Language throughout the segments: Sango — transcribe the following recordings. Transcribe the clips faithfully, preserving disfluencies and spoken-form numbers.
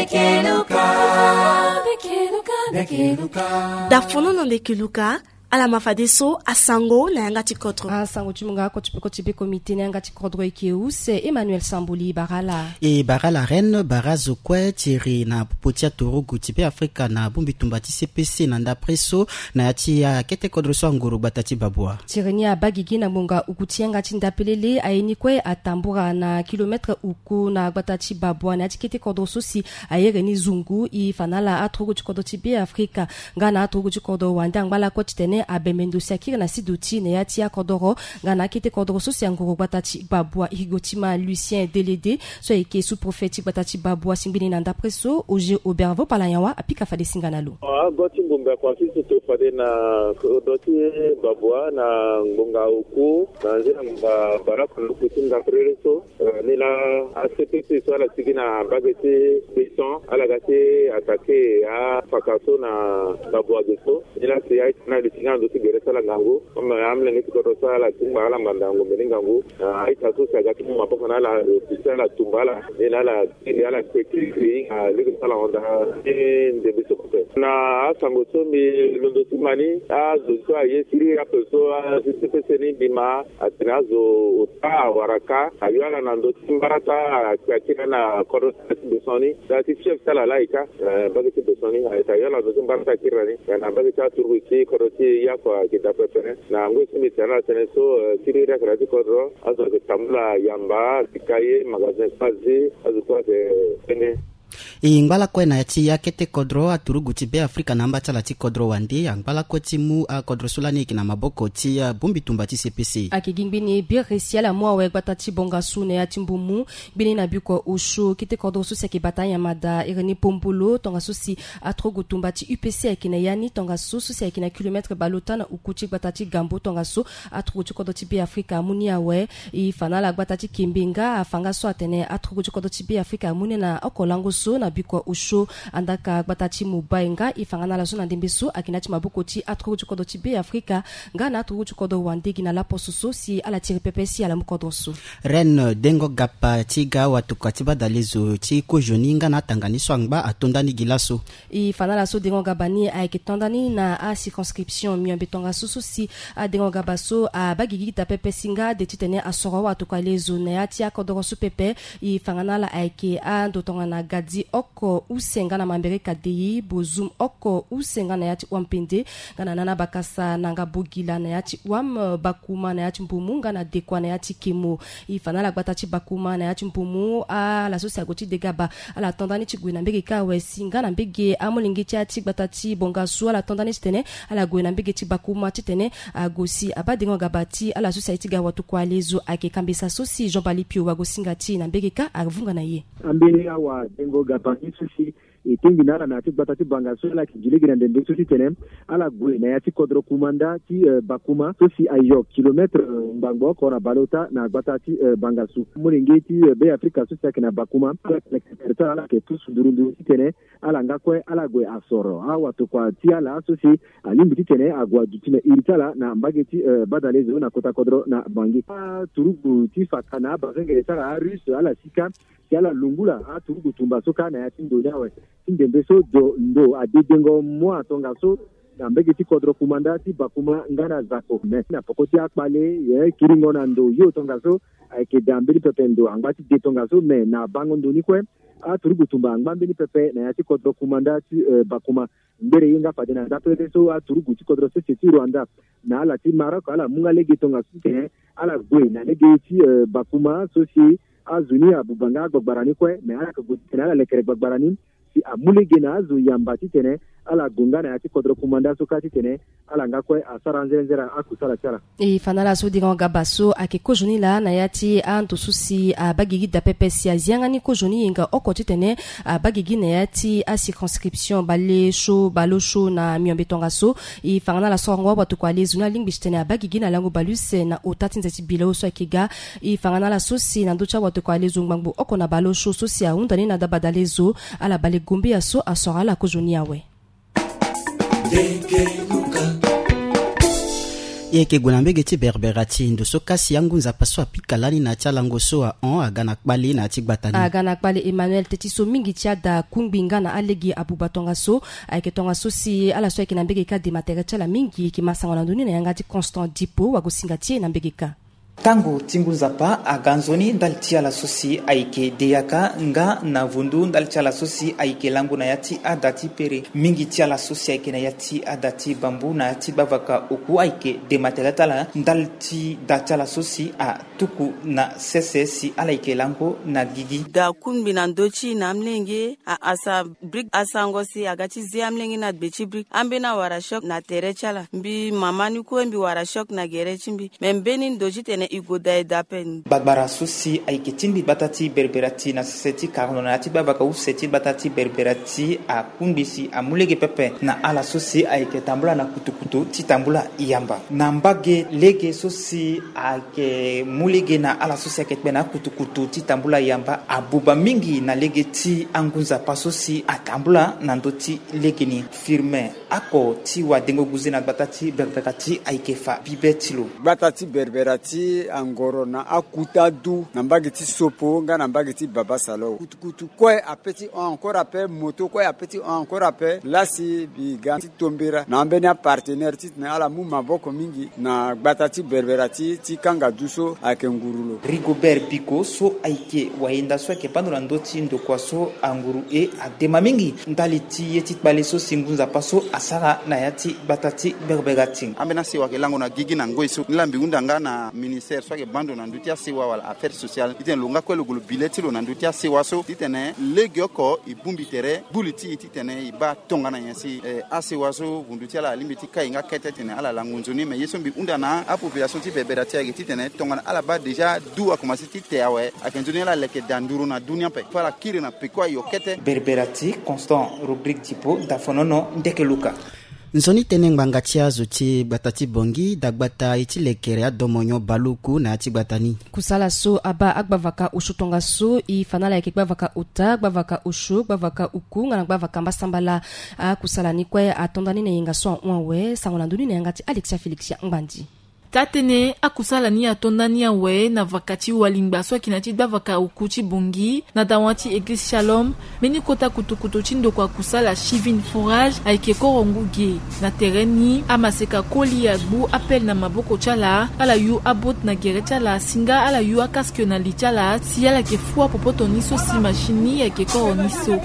Keluka. Keluka. Dafono na nde keluka. Ala ma fadeso asango na yanga ti kodro. Asango ti munga koti pe koti pe komite na yanga ti kodro eke use Emmanuel Samboli barala. E barala reine bara zo kue tiri na popo ti aturugu ti Be Afrika na bongbi tumba ti C P C na ndapre so na ya ti akete kodro so anguru gbata ti Babua. Tiri ni abagigi na ngbonga uku ti yanga ti ndapelele aye ni kue atambura na kilometre uku na gbata ti Babua na ya ti kete kodro so si ayere ni zungu. E fa na ala aturugu ti kodro ti Be Afrika nga na aturugu ti kodro wande angba lakue titene abembe ndo si akiri na sido ti na ya ti akodoro nga na akete kodro so si anguru gbata ti Babua. Higotima Lucien Delede so ayeke sous-préfet ti gbata ti Babua si ngbeni na ndapre so Auger Aubert Vopala Yanwa apika fade singa na lo. Ago ti mbumbe akuâ ti so to fade na kodro ti Babua na ngbonga oku na nzila ngbonga bara koloku ti ndapelele so. Eh, ni laa a C P C so ala sigi na mbage ti Besson ala ga ti attaquer afaka so na Babua ge so. Ni laa si a-ita ni ali ti nga na ndö ti gere so ala ngangu. Comme amolenge ti kodro so ala ti ngba ala ngbanda ngombe ni ngangu. Ah, a-ita so si aga ti mu maboko na ala, eh, si ala tumba ala. Ni laa ala kiri ala kpe kiri kiri hinga lege so ala hon daa ti ndembe so kue. Na asango so mbi londo ti ma ni, azo so aye siriri ape so, ah, si C P C ni mbi ma atene azo ota awara kâ, ayo ala na ndö ti mbarata, akpe akiri na kodro ti Besson ni, daa ti fief ti ala laa e kâ, eh, mbage ti Besson ni, ayeke ayo ala na ndö ti mbarata akiri na ni, eh, na mbage ti aturugu ti kodro ti Yako ayeke daa pepe. Na ngoi so mbi tene ala tënë so, eh, siriri akara ti kodro, azo ayeke tambula yamba, bika ye, magasin kue azi, azo kue ayeke tene. E ngba lakue na ya ti akete kodro aturugu ti Be Afrika na amba ti ala ti kodro wande angba lakue ti mu akodro so lani e yeke na maboko ti, ah, bongbi tumba ti C P C. Ayeke gi ngbeni biri si ala mu awe gbata ti Bongasu na ya ti mbumu. Ngbeni na bikua osio kete kodro so si ayeke bata anyama daa iri ni Pombolo tongaso si aturugu tumba ti U P C ayeke na ya ni tongaso so si ayeke na kilometre bale ota na uku ti gbata ti Gambo tongaso aturugu ti kodro ti Be Afrika amu ni awe. E fa na ala gbata ti Kembe nga afa nga so atene aturugu ti kodro ti Be Afrika amu ni na oko lango so na bikua osio. Andaka gbata ti Mobay nga e fa nga na ala so na ndembe so ayeke na ya ti maboko ti aturugu ti kodro ti Be Afrika nga na aturugu ti kodro wande gi na laposo so si ala tiri pepe si ala mu kodro so. Reine Dengo Gapa ti ga watokua ti badalezo ti kozoni nga na atanga ni so angba ato nda ni gi laso. E fa na ala so Dengo Gaba ni ayeke to nda ni na acirconscription miombe tongaso so si aDengo Gaba so abagigi daa pepe si nga de titene asoro awatokua lezo na ya ti akodoro so pepe. E fa nga na ala ayeke ando tongana gadi oko use nga na Mambere Kadei, Bozum oko use nga na ya ti Wampende, nga na Nana Bakasa, Nanga Bogila na ya ti Wam, Bakuma na ya ti Mbumu nga na Dekua na ya ti Kemo. E fa na ala gbata ti Bakuma na ya ti Mbumu, ala so si ague ti Degaba, ala to nda ni ti gue na mbege kâ awe si nga na mbege amolenge ti ya ti gbata ti Bongasu ala to nda ni titene ala gue na mbege ti Bakuma titene ague si abaa Dengo Gaba ti ala so si aye ti ga watokua lezo. Ayeke kambesa so si Jean Bali Pio wagosinga ti e na mbege kâ avunga na ye. Ambeni awa Dengo Gaba ni so si e tingbi na ala na ya ti gbata ti Bangasu, ala yeke gi lege na ndembe so titene ala gue na ya ti kodro Kumanda ti, eh, Bakuma so si ayo kilometre, eh, ngbangbo oko na baleota na gbata ti, eh, Bangasu. Molenge ti, eh, Be Afrika so si ayeke na Bakuma, ala yeke leke tere ti ala, ala yeke pusu nduru nduru titene ala nga kue ala gue asoro awatokua ti ala so si alingbi titene ague aduti na iri ti ala na mbage ti, eh, badalezo na kota kodro na Bangui. Aturugu ti faka na abazengele ti ala arusse ala sika si ala lungula aturugu tumba so kâ na ya ti ndo ni awe. Ti ndembe so do ndo adedengo mua tongaso na mbege ti kodro Kumanda ti Bakuma nga na Zako. Me na poko ti akpale, eh, kiringo na ndo yo tongaso ayeke daa mbeni pepe ndo angba ti de tongaso. Me na bango ndo ni kue, aturugu tumba angba mbeni pepe na ya ti kodro Kumanda ti, eh, Bakuma. Ngbere ye nga fade na ndapelele so aturugu ti kodro sese ti Rwanda na ala ti Maroc ala mu nga lege tongaso titene ala gue na lege ti, eh, Bakuma so si azo ni abuba nga agbagbara ni kue. Me ala yeke gue titene ala lekere gbagbara ni si amu lege na azo yamba titene ala gue nga na ya ti kodro Kumanda so kâ titene ala nga kue asara nzere nzere akusala ti ala. E fa na ala so Dengo Gaba so ayeke kozoni laa na ya ti ando so si abagigi daa pepe si azi yanga ni kozoni yenga oko titene abagigi na ya ti acirconscription baleso baleosio na miombe tongaso. E fa nga na ala sorongo awatokua lezo ni alingbi titene abagigi na lango baleuse na ota ti nze ti bilo so ayeke ga. E fa nga na ala so si na ndö ti awatokua lezo ngbangbo oko na baleosio so si ahunda ni na dabadalezo, ala bale gombeya so asoro ala kozoni awe. E yeke gue na mbege ti Berbera ti ndo so kasi angu nzapa so apika lani na ya ti alango so ahon aga na kpale na ya ti gbata ni. Aga na kpale Emmanuel teti so mingi ti ada kungbi nga na alege abuba tongaso. Ayeke tongaso si ala so ayeke na mbege kâ dema tere ti ala mingi. Yeke ma sango na ndoni na yanga ti Constant Dipo wagosinga ti e na mbege kâ. Tango ti ngu nzapa aga nzoni ndali ti ala so si ayeke deyaka nga na vundu ndali ti ala so si ayeke lango na ya ti ada ti pere. Mingi ti ala so si ayeke na ya ti ada ti bambu na ya ti gbavaka oku ayeke dema tere ti ala ndali ti da ti ala so si atuku na sese si ala yeke lango na gigi. Da kungbi na ndö ti e na amolenge a asa brik asango si aga ti ze amolenge na gbe ti brik ambeni awara choc na tere ti ala. Mbi mama ni kue mbi wara choc na gere ti mbi. Me mbeni ndo titene e gue daa e daa ape. Gbagbara so si ayeke tingbi gbata ti Berbera ti na sese ti karono na ya ti gbavaka use ti gbata ti Berbera ti akungbi si amu lege pepe na ala so si ayeke tambula na kutukutu ti tambula yamba na mbage lege so si ayeke mu lege na ala so si ayeke kpe na akutukutu ti tambula yamba abuba mingi na lege ti angu nzapa so si atambula na ndö ti lege ni. Firme ako ti wadengo guze na gbata ti Berbera ti ayeke fa bibe ti lo. Gbata ti Berbera ti angoro na akuta du na mbage ti Sopo nga na mbage ti Baba Salo. Kutukutu kue ape ti hon encore ape, moto kue ape ti hon encore ape. Lasi mbi ga ti tombera na ambeni apartenaire titene ala mu maboko mingi na gbata ti Berbera ti ti kanga du so ayeke nguru lo. Rigobert Biko so ayeke wayenda so ayeke bando na ndö ti ndokua so anguru e adema mingi ndali ti ye ti kpale so si ngu nzapa so asara na ya ti gbata ti Berbera ti. Ambeni asewa ayeke lango na gigi na ngoi so ni laa mbi hunda nga na ministère so ayeke bando na ndö ti asewa wala affaire sociale titene lo nga kue lo gue lo bi le ti lo na ndö ti asewa so titene legeoko e bongbi tere gbu li ti e titene e baa tongana nyen si eh, asewa so vundu ti ala alingbi ti kai nga kete titene ala lango nzoni. Me ye so mbi hunda na apopulation ti Berbera ti ayeke titene tongana ala baa déjà du akomanse ti te awe ayeke nzoni ala leke daa nduru na du ni ape fo ala kiri na peko ayo kete. Berbera ti Constant Rodrigue Tipo dafonono ndeke luka. Nzoni tënë ngbanga ti azo ti gbata ti Bongi dagbata e ti lekere adomonyo baleoku na ya ti gbata ni. Kusala so abaa agbavaka osio tongaso e fa na ala yeke gbavaka ota, gbavaka osio, gbavaka oku nga na gbavaka mbasambala. Akusala ni kue ato nda ni na yenga so ahon awe. Sango na ndö ni na yanga ti Alexia Félixia Ngbandi. Taa-tënë akusala ni ato nda ni awe na vaka ti walingba so ayeke na ya ti gbavaka oku ti Bongi na dawa ti eglize Shalom. Mbeni kota kutukutu ti ndokua kusala Chivine Forage ayeke koro ngu ge. Na tere ni amaseka koli agbu apele na maboko ti ala, ala yu abot na gere ti ala si nga ala yu akasque na li ti ala si ala yeke fua popoto ni so si machine ni ayeke koro ni so.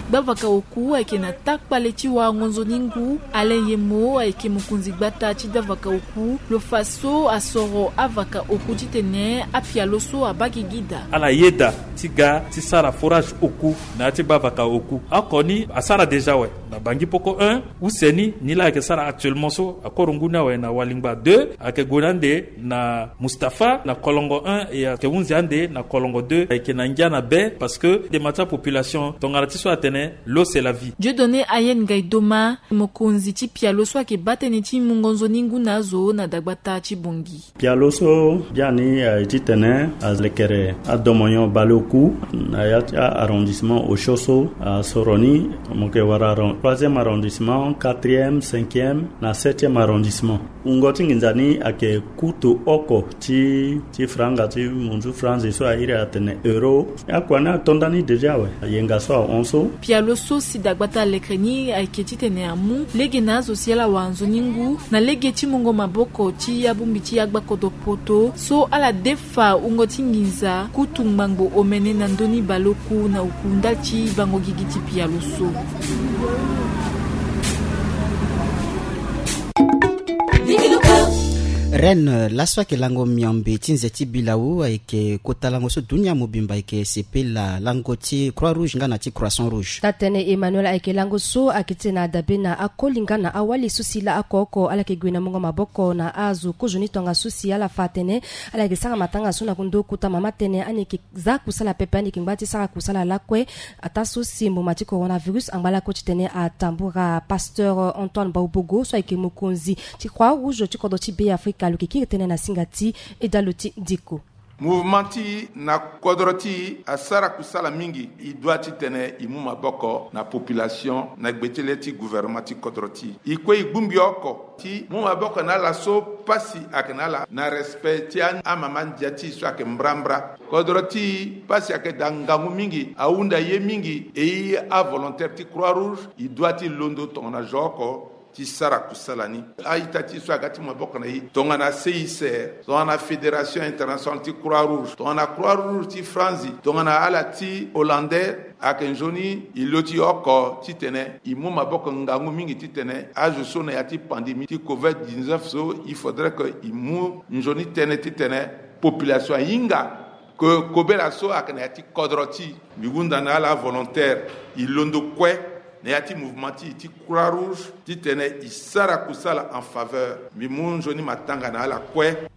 Gbavaka oku ayeke na taa kpale ti warango nzoni ngu. Alain Yemo ayeke mokonzi gbata ti gbavaka oku lo fa so asoro avaka oku titene apialo so abaa gigi daa. Ala yeda ti ga ti sara forage oku na ya ti gbavaka oku oko ni asara déjà awe na Bangi Poko un. Use ni ni laa ayeke sara actuellement so akoro ngu ni awe na Walingba deux ayeke gue na ande na Mustapha na Kolongo un e ayeke hunzi ande na Kolongo deux ayeke na ngia na be parce que dema ti apopulation tongana ti so atene l'eau c'est la vie. Dieudonné Ayen Gaidoma mokonzi ti pialo so ayeke baa tënë ti mungo nzoni ngu na azo na dagbata ti Bongi. Pialo so biani aye titene alekere adomonyo baleoku na ya ti a-arrondissement osio so asoro ni. Mo yeke wara arron-, troisième arrondissement, quatrième, cinquième na septième arrondissement. Wungo ti nginza ni ayeke kutu oko ti, ti franga ti munzu franzi so a iri atene euro. Akua ni ato nda ni déjà awe. Ayenga so ahon so. Pialo so si dagbata alekere ni ayeke titene amu lege na azo si ala wara nzoni ngu na lege ti mungo maboko ti abongbi ti agbakodo poto so ala defa wungo ti nginza kutu ngbangbo omene na ndö ni baleoku na oku ndali ti bango gigi ti pialo so. Reine, laso ayeke lango miombe ti nze ti bilau ayeke kota lango so dunia mobimba ayeke sepela, lango ti Croix Rouge nga na ti Croissant Rouge. Taa-tënë Emmanuel ayeke lango so ayeke titene adabe na akoli nga na awali so si laa oko oko ala yeke gue na mungo maboko na azo kozoni tongaso si ala fa atene ala yeke sara matanga so na ndö kota mama tënë ani yeke za kusala pepe, ani yeke ngba ti sara kusala lakue. Ataa so si mboma ti coronavirus angba lakue titene atambura. Pasteur Antoine Baubogo so ayeke mokonzi ti Croix Rouge ti kodro ti Be Afrika lo yeke kiri tënë na singa ti Edalo ti Ndiko. Mouvement ti na kodro ti asara kusala mingi. E dua titene e mu maboko na population na gbe ti le ti gouvernement ti kodro ti e kue. E bongbi oko ti mu maboko na ala so pasi ayeke na ala na respect ti amama ndia ti e so ayeke mbrambra. Kodro ti e pasi ayeke daa ngangu mingi, ahunda ye mingi. E avolontaire ti Croix Rouge e dua ti londo tongana zo oko ti sara kusala ni. A-ita ti e so aga ti maboko na e tongana C I C R, tongana Fédération Internationale ti Croix Rouge, tongana Croix Rouge ti Franzi, tongana ala ti Hollandais, ayeke nzoni e lo ti e oko titene e mu maboko ngangu mingi titene azo so na ya ti pandémie ti covid dix-neuf so, il faudrait que e mu nzoni tënë titene population ahinga ke kobela so ayeke na ya ti kodro ti e. Mbi hunda na ala avolontaire e londo kue na ya ti mouvement ti e ti Croix Rouge titene e sara kusala en faveur. Mbi mu nzoni matanga na ala kue.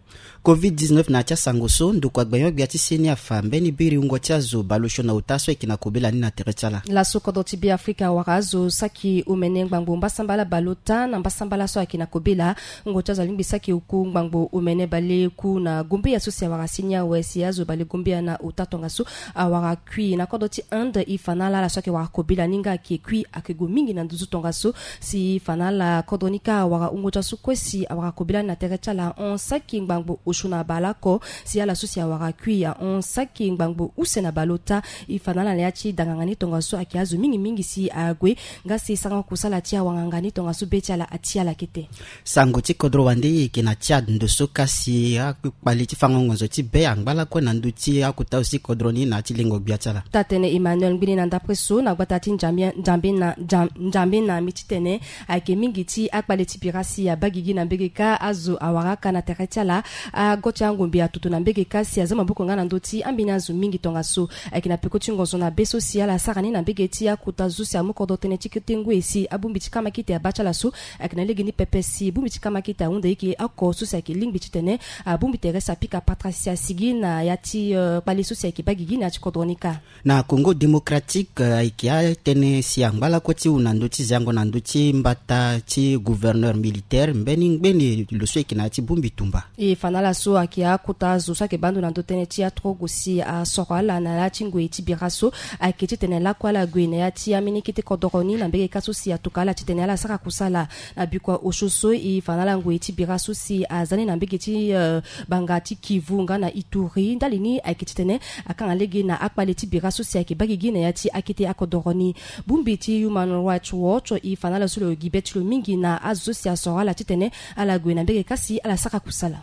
Covid dix-neuf na ya ti asango so, ndokua gbenyo-gbia ti seni afa mbeni biri wungo ti azo baleosio na ota so ayeke na kobela ni na tere ti ala. Laso kodro ti Beafrika awara azo saki omene ngbangbo mbasambala baleota na mbasambala so ayeke na kobela. Wungo ti azo alingbi saki oku ngbangbo omene baleku na gombeya so si awara seni awe si azo bale gombeya na ota tongaso awara kui. Na kodro ti Inde, e fa na ala ala so ayeke wara kobela ni nga ayeke kui ayeke gue mingi na nduzu tongaso. Si e fa na ala kodro ni kâ awara wungo ti aso kue si awara kobela ni na tere ti ala ahon saki ngbangbo osio na baleoko. Si ala so si awara kui ahon saki ngbangbo use na baleota. E fa na ala na ya ti danganga ni tongaso ayeke azo mingi mingi si ague. Nga si sarango kusala ti awanganga ni tongaso be ti ala ati ala kete. Sango ti kodro wande e yeke na Tchad ndo so kasi akpali ti fango ngonzo ti be angba lakue na ndö ti akota aussi kodro ni na ya ti lengo gbia ti ala. Taa-tene Emmanuel Ngbini na ndapre so na gbata ti Njambe, Njambe na, Njam-, Njambe na mbi titene ayeke mingi ti akpale ti bira si abaa gigi na mbege kâ azo awara aka na tere ti ala. Ago ti angombe atutu na mbege kâ si aza maboko nga na ndö ti ambeni azo mingi tongaso. Ayeke na peko ti ngonzo na be so si ala sara ni na mbege ti akota zo si amu kodro tënë ti kete ngue si abongbi ti kamakite abaa ti ala so. Ayeke na lege ni pepe si bongbi ti kamakite ahunda eke oko so si ayeke lingbi titene abongbi tere si apika patara si asigi na ya ti, eh, kpale so si ayeke baa gigi na ya ti kodro ni kâ. Na Congo Démocratique, eh, ayeke atënë si angba lakue ti hu na ndö ti zango na ndö ti mbata ti gouverneur militaire mbeni ngbeni lo so ayeke na ya ti bongbi tumba. E fa na ala so ayeke akota zo so ayeke baa ndo na ndö tënë ti aturugu si asoro ala na ya ti ngoi ti bira so. Ayeke titene lakue ala gue na ya ti ambeni kete kodoro ni na mbege kâ so si atuka ala titene ala sara kusala. Na bikua osio so e fa na ala ngoi ti bira so si aza ni na mbege ti, eh, banga ti Kivu nga na Ituri. Ndali ni ayeke titene akanga lege na akpale ti bira so si ayeke baa gigi na ya ti akete akodoro ni. Bongbi ti Human Rights Watch e fa na ala so lo gi be ti lo mingi na azo so si asoro ala titene ala gue na mbege kâ si ala sara kusala.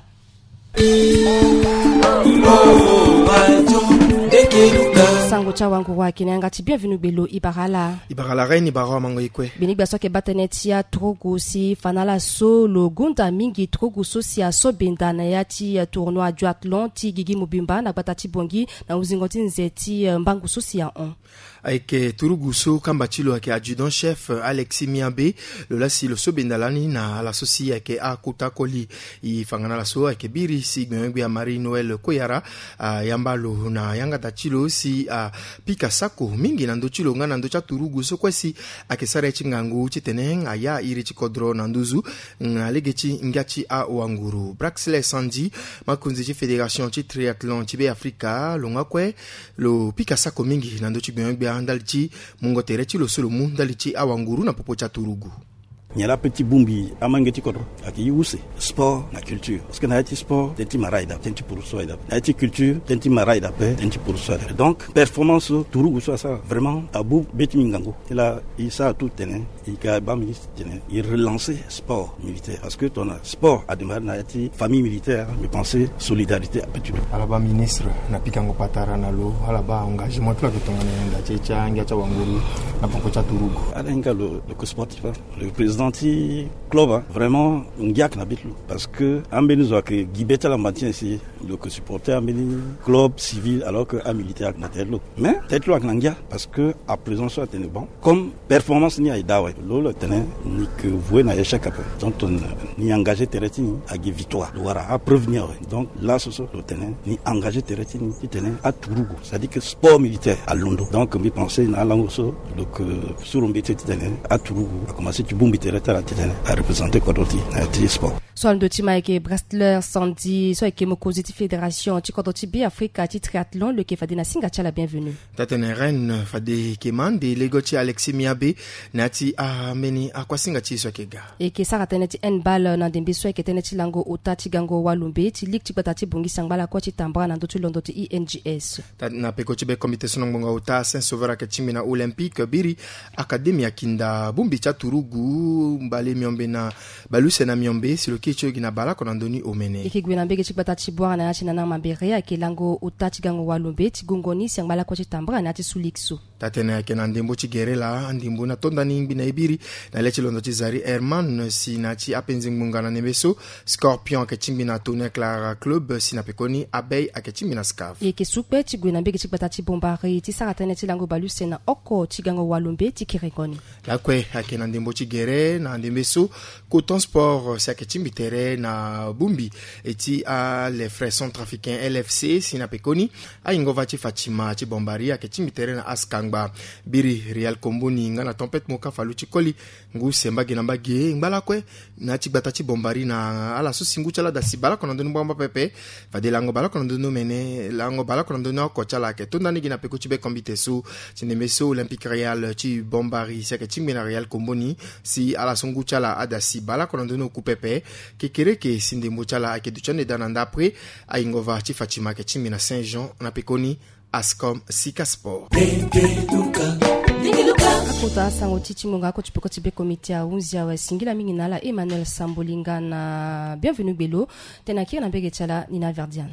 Sango ti awanguru ayeke na yanga ti Bienvenu Gbelo, e bara ala. E bara ala reine, e bara awamango e kue. Gbinigbia so ayeke baa tënë ti aturugu si e fa na ala so lo gonda mingi turugu so si aso benda na ya ti, eh, tournoi duathlon ti gigi mobimba na gbata ti Bangui na huzingo ti nze ti, eh, mbangu so si ahon. Ayeke turugu so kamba ti lo ayeke adjudant chef Alexis Miabe. Lo laa si lo so benda lani na ala so si ayeke akota koli. E fa nga na ala so ayeke biri si gbenyo-gbia Marie Noël Koyara ayamba lo na yanga da ti lo si apika sako mingi na ndö ti lo nga na ndö ti aturugu so kue si ayeke sara ye ti ngangu titene aya iri ti kodro na nduzu na lege ti ngia ti awanguru. Braxley Sandy, makonzi ti fédération ti triathlon ti Beafrika, lo nga kue lo pika sako mingi na ndö ti gbenyo-gbia ndali ti mungo tere ti lo so lo mu ndali ti awanguru na popo ti aturugu. Nyen laa ape ti bongbi amange ti kodro? Ayeke ye use sport na culture. Parce que na ya ti sport tënë ti mara aye daa, tënë ti purusu aye daa. Na ya ti culture tënë ti mara aye daa ape, tënë ti purusu aye daa. Donc performance so turugu so asara vraiment abu be ti mbi ngangu. Ti laa e sara tout tene e ga baa ministre titene e relancer sport militaire, parce que tongana sport adémarrer na ya ti famille militaire, mbi pense solidarité ape ti lo. Ala baa ministre na pikango patara na lo, ala baa engagement ti lo ayeke tongana nyen na nda ti, ti angia ti awanguru na poko ti aturugu? Ala hinga lo, lo yeke sportif, hein. Lo yeke président ti club, hein. Vraiment ngia ayeke na be ti lo, parce que ambeni zo ayeke gi be ti ala matin si lo yeke supporter ambeni club civil alors que amilitaire ayeke na tere ti lo. Mais tere ti lo ayeke na ngia parce que à présent so atene bon, comme performance ni aye daa awe, lo lo tene ni yeke voué na échec ape. Donc tongana ni engagé tere ti ni agi victoire, lo wara apreuve ni awe. Donc laso so lo tene ni engagé tere ti ni titene aturugu, c'est-à-dire que sport militaire alondo. Donc mbi pense na alango so lo yeke suru mbeti titene aturugu akomanse ti bongbi tere ti ala titene areprésenter kodro ti e na ya ti sport. So alondo ti ma ayeke Brastler Sandy so ayeke mokonzi ti fédération ti kodro ti Beafrika ti triathlon lo yeke fade na singa ti ala bienvenu. Tatene Rennes fade yeke ma ande lego ti Alexis Miabe na ya ti ambeni akuasinga ti e so ayeke ga. E yeke sara tënë ti handball na ndembe so ayeke tënë ti lango ota ti gango walombe ti ligue ti gbata ti bongisi angba lakue ti tambara na ndö ti londo ti I N G S. Tat- na peko ti be comité so na ngbonga ota Saint Sauveur ayeke tingbi na Olympique biri Académie akinda bongbi ti aturugu mbale miombe na baleuse na miombe si lo kiri ti lo gi na baleoko na ndö ni omene. E yeke gue na mbege ti gbata ti Bouar na ya ti Nana Mambéré ayeke lango ota ti gango walombe ti gongo ni si angba lakue ti tambara na ya ti Soulix so. Tatene ayeke na ndembo ti gere laa, ndembo ni atonda ni ngbi na e biri na le ti londo ti Zari Herman si na ya ti apenze ngbonga na ndembe so, Scorpion ayeke tingbi na Tonnerre Clara Club si na pekoni Abeille ayeke tingbi na Scaf. E yeke su kpe ti gue na mbege ti gbata ti Bombari ti sara tënë ti lango baleuse na oko ti gango walombe ti kerengo ni. Lakue ayeke na ndembo ti gere na ndembe so, Coton Sport si ayeke tingbi tere na bongbi e ti a Les Frères Centrafricains L F C si na pekoni Ayingova ti Fatima ti Bombari ayeke tingbi tere na askangba. Biri Real Komboni nga na Tempête Moka Falu ti koli ngu se mbage na mbage ngba lakue na ya ti gbata ti Bombari na ala so si ngu ti ala ada si baleoko na ndö ni ngbangba pepe. Fade lango baleoko na ndö ni omene, lango baleoko na ndö ni oko ti ala ayeke tonda ni gi na peko ti be kombite so. Ti ndembe so Olympique Real ti Bombari si ayeke tingbi na Real Komboni si ala so ngu ti ala ada si baleoko na ndö ni oku pepe. Kekereke si ndembo ti ala ayeke duti ande daa na ndapre. Ayingova ti Fatima ayeke tingbi na Saint Jean na pekoni Ascom Sika Sport. Akota sango ti ti ngonga ako ti peko ti be komite ahunzi awe. Singila mingi na ala Emmanuel Sambolinga na Bienvenu Gbelo. Tena kiri na mbege ti ala Nina Verdian.